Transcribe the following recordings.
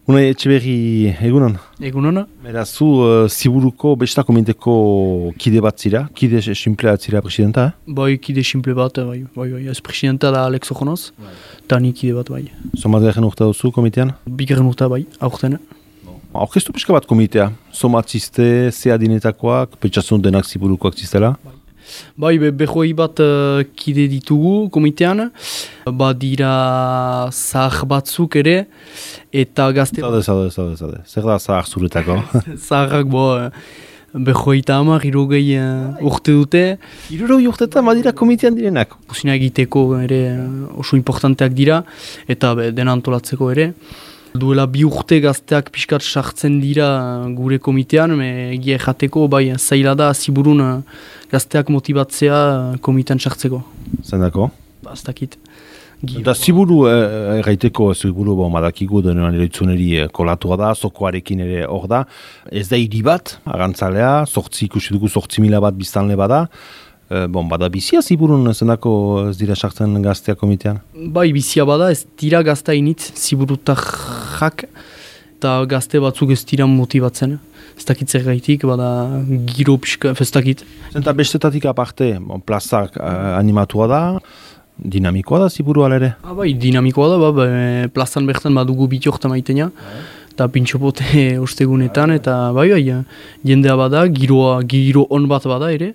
Unai Etxeberri, egunon? Egunon? Beraz, zu Ziburuko besta komiteko kide bat zira, kide simplea zira presidenta, Bai, kide simple bat, bai. Ez presidenta da Alex Ojonoz, eta ni kide bat, bai. Somat garen urta duzu komitean? Bigarren urta, bai, aurten. Aurkeztu pixka bat komitea, somat ziste, ze adinetakoak, petxasun denak Ziburukoak zistela? Bai, behoi bat kide ditugu komitean, dira zahar batzuk ere, eta gazte... Zade. Zer da zahar zuretako? Zaharrak, behoi eta hamar, irogei urte dute. Irogei urte eta badira komitean direnak? Kusina egiteko ere oso importanteak dira, eta dena antolatzeko ere. Duela 2 urte gazteak pixkat sartzen dira gure komitean, egia jateko, zaila da Ziburun gazteak motibatzea komitean sartzeko. Zendako? Aztakit. Eta Ziburu erraiteko, Ziburu madakigu denean eroitzuneri kolatua da, zokoarekin ere hor da. Ez da hiri bat, arantzalea, ikusi dugu 8.000 bat biztanle bada. Bada bizia Ziburun zendako ez dira sartzen gaztea komitean? Bai, bizia bada, ez dira gaztea initz Ziburutarrak, eta gazte batzuk ez dira motibatzen. Ez dakit zer gaitik, bada giro pixka, ez dakit. Zenta bestetatik aparte, plazak animatua da, dinamikoa da Ziburu alere? Bai, dinamikoa da, plazan bertan badugu bitiorta maitena, eta pintxopote ostegunetan, eta jendea bada, giro on bat bada ere.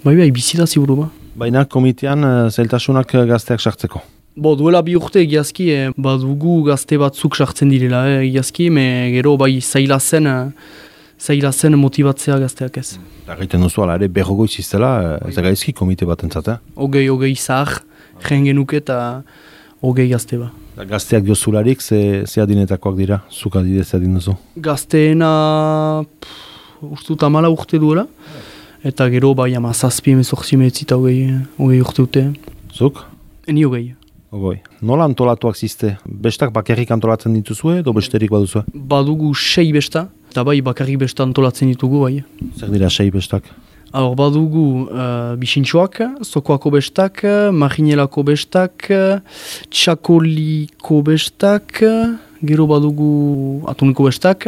Bai, bizi da Ziburu ba. Baina komitean zailtasunak gazteak sartzeko? Duela 2 urte egiazki, badugu gazte batzuk sartzen direla egiazki, gero zaila zen motibatzea gazteak ez. Eta gaiten duzu ala ere berrogoiz iztela, ez da gaizki komite bat entzate? Hogei zahar, jehen genuke eta hogei gazte ba. Gazteak diozularik, ze adinetakoak dira, zuk adidez adin duzu? Gazteena, ustut 14 urte duela. Eta gero, 17, 18 eta hogei urte dute. Zuk? Ni hogei. Nola antolatuak ziste? Bestak bakarrik antolatzen dituzue edo besterik baduzue? Badugu 6 besta, eta bakarrik besta antolatzen ditugu, bai. Zer dira 6 bestak? Badugu bisintxoak, zokoako bestak, marinelako bestak, txakoliko bestak, gero badugu atuniko bestak,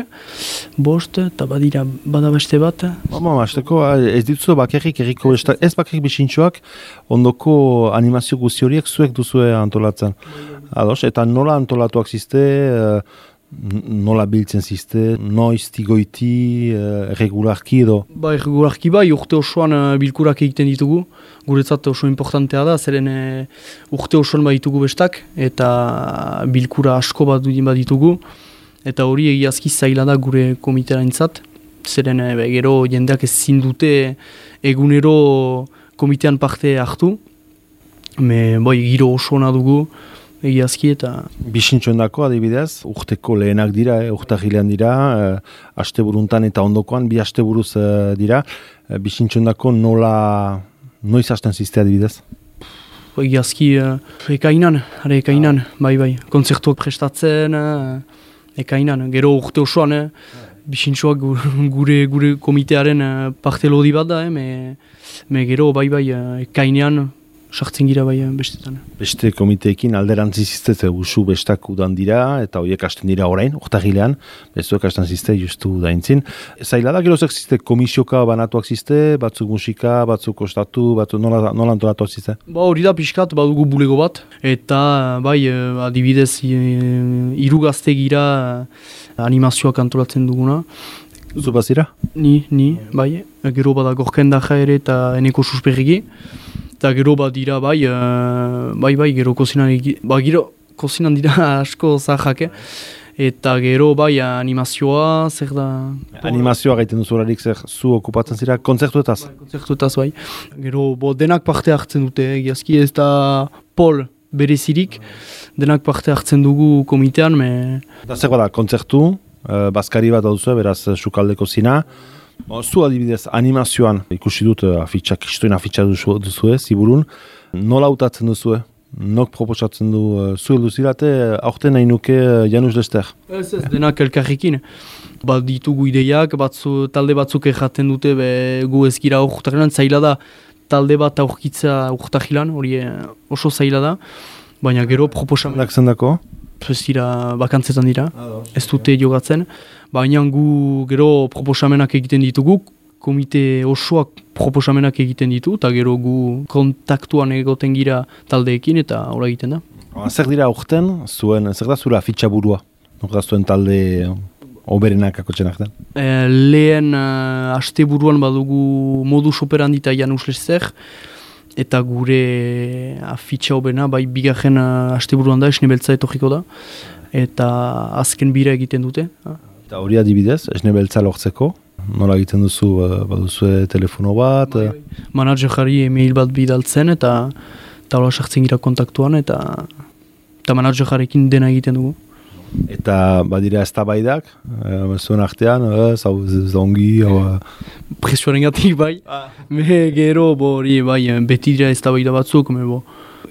5, eta bada beste bat. Ez dituzu bakarrik erriko bestak, ez bakarrik bisintxoak, ondoko animazio guzti horiek zuek duzue antolatzen. Eta nola antolatuak ziste, nola biltzen ziste, noiz, tigoiti, regularki edo? Regularki urte osoan bilkurak egiten ditugu. Guretzat oso importantea da, zeren urte osoan ditugu bestak, eta bilkura asko bat ditugu. Eta hori egiazki zaila da gure komiteraintzat. Zeren gero jendeak ezin dute egunero komitean parte hartu. Giro oso ona dugu. Egiazki eta... Bisintxoen dako adibidez, urteko lehenak dira, urtahilean dira, asteburuntan eta ondokoan, 2 asteburuz dira. Bisintxoen dako noiz hasten ziste adibidez? Egiazki, ekainan, bai. Kontzertuak prestatzen, ekainan. Gero urte osoan, bisintxoak gure komitearen parte lodi bat da, gero ekainean, sartzen gira bestetan. Beste komiteekin alderantzi zizte usu bestak udan dira, eta horiek hasten dira orain, urtahilean, bezuek hasten zizte justu daintzin. Zaila da, gero zizte komisioka banatuak zizte, batzuk musika, batzuk ostatu, nola antolatuak zizte? Hori da pixkat, badugu bulego bat, eta adibidez 3 gazte gira animazioak antolatzen duguna. Zu bazira? Ni, gero bada gorken daja ere eta eneko susperriki. Eta gero dira gero kozinan dira asko zahak, eta gero animazioa, zer da... Animazioa gaiten duzularik zer zu okupatzen zira, kontzertuetaz? Kontzertuetaz, Gero denak parte hartzen dute, egiazki ez da pol berezirik, denak parte hartzen dugu komitean. Eta zer da, kontzertu, bazkari bat duzu, beraz sukaldeko zina. Zu adibidez, animazioan ikusi dut kristoin afitxa duzue, Ziburun. Nola hautatzen duzue? Nok proposatzen du zu duzirate, aurten nahi nuke Janus Lester? Ez, denak elkarrekin. Ditugu ideiak, talde batzuk erraten dute gu ezgira urtahilan, zaila da talde bat aurkitza urtahilan, hori oso zaila da. Baina gero proposamen... Zendako? ez dira bakantzetan dira, ez dute jogatzen. Baina gu gero proposamenak egiten ditugu, komite osoak proposamenak egiten ditu, eta gero gu kontaktuan egoten gira taldeekin, eta hola egiten da. Zer dira aurten, zer da zura fitxaburua? Nor da zuen talde oberenak akotxenak den? Lehen asteburuan badugu modus operandi eta Janus Lester, eta gure afitxa obena, bai bigarren asteburuan da, Esne Beltza etorriko da, eta azken bira egiten dute. Eta hori adibidez, Esne Beltza lortzeko, nola egiten duzu, baduzue telefono bat? Managerari email bat bidaltzen, eta hola sartzen gira kontaktuan, eta managerjarekin dena egiten dugu. Eta badira eztabaidak, zuen artean, hau zongi, presioaren gatik bai, me gero bai, beti dira eztabaida batzuk,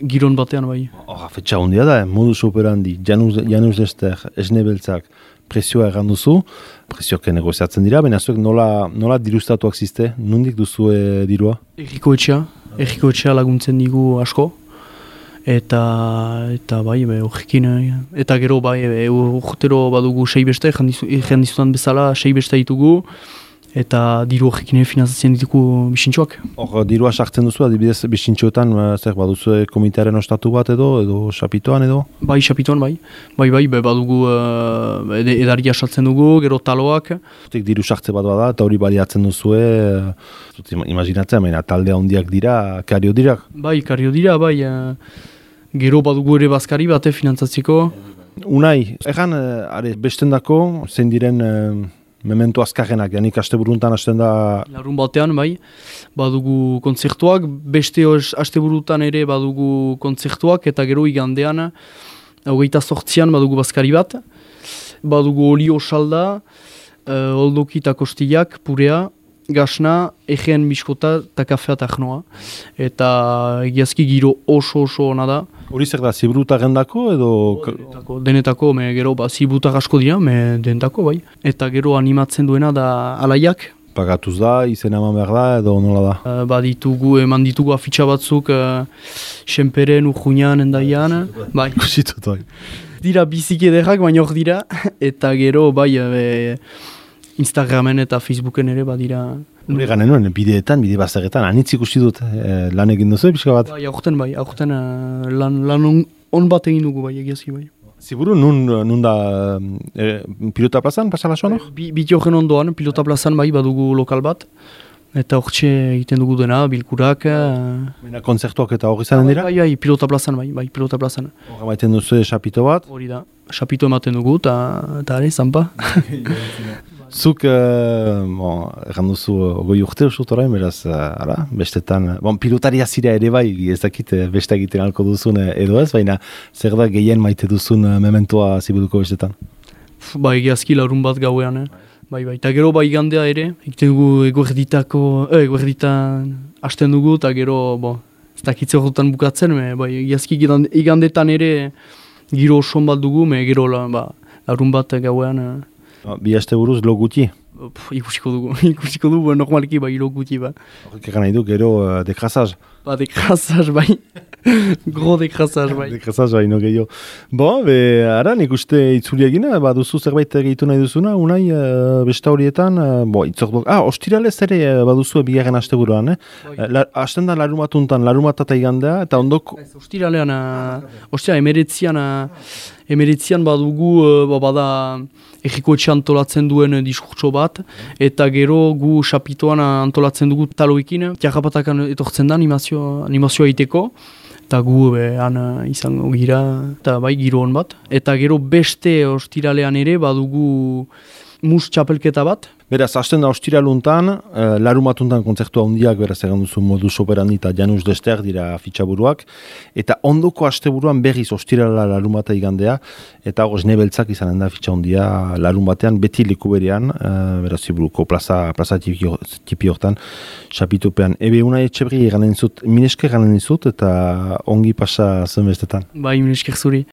giron batean bai. Fetxa hondia da, modus operandi, Janus Lester, Esne Beltzak, presioa erran duzu, presioak negoziatzen dira, baina zuek nola dirustatuak ziste, nondik duzu dirua? Erriko etxea laguntzen digu asko, eta bai, horrekin, eta gero bai, urtero badugu 6 beste, jendizutan bezala 6 beste ditugu, eta diru horrekin finanzatzen ditugu bisintxoak. Hor, dirua sartzen duzu, adibidez bisintxoetan, zer baduzu komitearen ostatu bat edo xapitoan edo? Bai, xapitoan bai, badugu edaria sartzen dugu, gero taloak. Diru sartze bat bada, eta hori baliatzen duzue, imaginatzen, baina taldea handiak dira, kario dirak? Bai, kario dira, bai, gero badugu ere bazkari bate finantzatzeko. Unai, egan, bestendako, zein diren memento azkarrenak, janik asteburuntan hasten da... Larun batean, bai, badugu kontzertuak, beste asteburutan ere badugu kontzertuak, eta gero igandean, 28an badugu bazkari bat, badugu olio salda, oldoki eta kostillak, purea, gasna, egen biskota eta kafea eta jnoa. Eta egiazki giro oso ona da. Hori zer da, ziburuta gendako edo... Denetako, gero ziburutak asko dira, denetako bai. Eta gero animatzen duena da alaiak. Pagatuz da, izena eman behar da edo nola da? Baditugu, eman ditugu afitxa batzuk, Senperen, Urjuñan, Endaian. Bai. Kusitut bai. Dira biziki ederrak, baina hor dira. Eta gero bai... Instagramen eta Facebooken ere badira. Hore gane nuen, bideetan, bide bazagetan, anitz ikusi dut lan egin duzu, pixka bat? Bai, aurten lan on bat egin dugu bai, egiazki bai. Ziburu, nun da pilota plazan, pasala soan hor? Biti horren ondoan, pilota plazan bai, badugu lokal bat. Eta hortxe egiten dugu dena, bilkurak. Baina kontzertuak eta hori zanen dira? Bai, pilota plazan bai, pilota plazan. Horra maiten duzu xapito bat? Hori da, xapito ematen dugu, eta are, zanpa. Zuk, erran duzu, goi urte usut orain, beraz, bestetan, pilotaria zira ere bai, ez dakit beste egiten alko duzun edo ez, baina zer da gehien maite duzun mementoa ziburuko bestetan? Bai, egiazki larun bat gauean, bai, eta gero bai igandea ere, egiten dugu eguerditan hasten dugu, eta gero, ez dakitze horretan bukatzen, bai, egiazki igandetan ere giro oson bat dugu, gero larun bat gauean. Bi aste buruz lo guti? Ikusiko dugu, normalki bai lo guti ba. Horrek egan nahi du, gero dekrazaz? Dekrazaz bai, gro dekrazaz bai. Dekrazaz bai, no gehiago. Ara, nik uste itzuli egina, baduzu zerbait gehitu nahi duzuna, unai besta horietan, ostiralez ere baduzu bigarren aste buruan, hasten da larumatuntan, larumata igandea, eta ondoko... Ostiralean, emeretzian badugu, bada... Egiko etxe antolatzen duen diskurtso bat, eta gero gu xapitoan antolatzen dugu taloekin. Tiarrapatakan etortzen da animazioa egiteko, eta gu han izango gira, eta bai giro hon bat. Eta gero beste ostiralean ere badugu mus txapelketa bat. Beraz, hasten da ostiraluntan, larumatuntan kontzertua handiak, beraz egan duzu modus operandi eta Janus Lester dira fitxaburuak, eta ondoko asteburuan berriz ostirala larumata igandea, eta hor Esne Beltzak izanen da fitxa handia larun batean, beti leku berean, beraz ziburuko plaza tipi hortan, xapitupean. Ebe Unai Etxebri minesker ganen dizut, eta ongi pasa zen bestetan. Bai, minesker zuri.